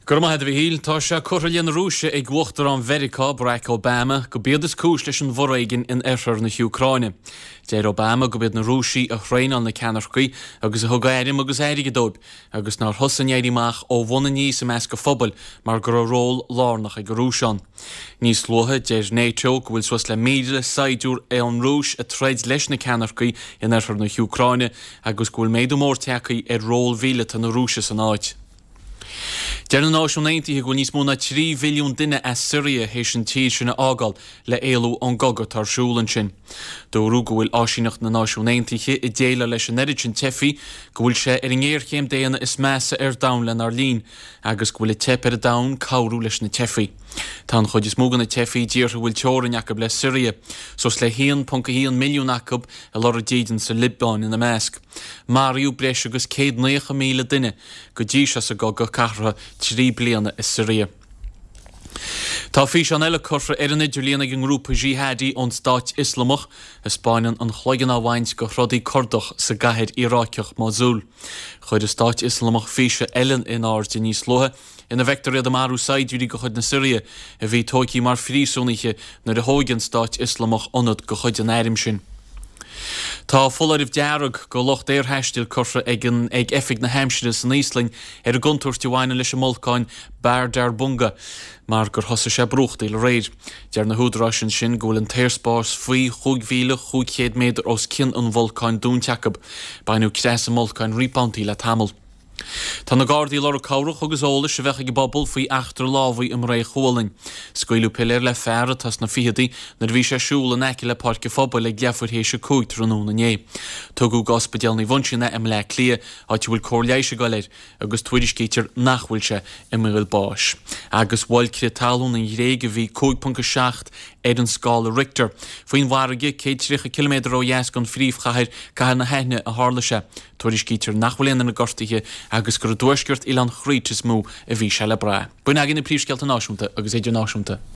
Go raibh maith agat a Mhichíl. Tá sé curtha i leith na Rúise ag Uachtarán Mheiriceá, Barack Obama, gurb iad is cúis leis an bhforéigean in oirthear na hÚcráine. Deir Obama gurb iad na Rúisigh a thraenáil na ceannaircigh agus a thug airm agus airgead dóibh, agus nár thosaigh an éirí amach ó bhun aníos i measc an phobail mar go raibh ról lárnach ag an Rúis ann. Níos luaithe, deir NATO go bhfuil suas le 1,000 saighdiúir ón Rúis ag troid leis na ceannaircigh in oirthear na hÚcráine agus go bhfuil méadú mór tagtha ar ról mhíleata na Rúise san áit. Deir na Náisiúin Aontaithe go bhfuil níos mó ná 3 mhilliún duine as Siria théis an tír sin a fhágáil le éalú ón gcogadh atá ar siúl ansin. Dúradh go bhfuil áisíneacht na Náisiún Aontaithe ag déileáil leis an oiread sin teifigh go bhfuil sé ar an ngéarchéim daonna is measa ar domhan lenár linn agus go bhfuil ag teip ar an domhan cabhrú leis na teifigh. Tá an chuid is mó de na teifigh i dtíortha a bhfuil teorainn acu le Siria, suas le 1.1 milliún acu ag lorg dídean sa Liobáin ina measc. Maraíodh breis agus 190,000 duine go dtí seo sa gcogadh cathartha 3 bliana i Siria. Tá físeán eile curtha ar an idirlíon ag an ngrúpa jihadi ón Stáit Ioslamach a 'spáineann an chloigeann á bhaint de throdaí Curdach sa gcathair Iaráiceach Mosul. Chuir an Stáit Ioslamach físeán eile in airde níos luaithe ina bhfeictear iad ag marú saighdiúirí de chuid na Siria a bhí tóigthe mar phríosúnaithe nuair a thóig an Stáit Ioslamach ionad de chuid an airm sin. Tá foláireamh dearg do lucht aerthaistil curtha ag an ag Oifig na hAimsire san Íoslainn ar an gcontúirt a bhaineann leis an mbolcán Bárðarbunga mar gur thosaigh sé ag brúchtaíl aréir. Deir na húdaráis ansin go bhfuil an t-aerspás faoi 5,500 méadar os cionn an bholcáin dúnta acu. Baineadh creathadh sa mbolcán roinnt babhtaí le tamall. Tá na Gardaí ag lorg cabhrach agus eolais a bheadh ag an bpobal faoi eachtra lámhaigh i mBré Chualainn. Scaoileadh piléar le fear atá sna ficheadaí nuair a bhí sé ag siúl in aice le Páirc an Phobail ag leathuair théis a 5 tráthnóna inné. Tugadh go Ospidéal Naomh Uinseann é i mBleá Cliath, áit a bhfuil cóir leighis ag dul air, agus tuairiscítear nach bhfuil sé i mbaol báis. Agus bhuail crith talún an Ghréig a bhí 5.7 ar an scála Richter. Faoin bhfarraige, 130 ciliméadar ó dheas den phríomhchathair, cathair na hAithne, a tharla sé. Tuairiscítear nach bhfuil aon duine gortaithe agus gur i dtuaisceart oileán Chrete is mó a bhí sé le brath. B'in againn na príomhscéalta náisiúnta agus idirnáisiúnta.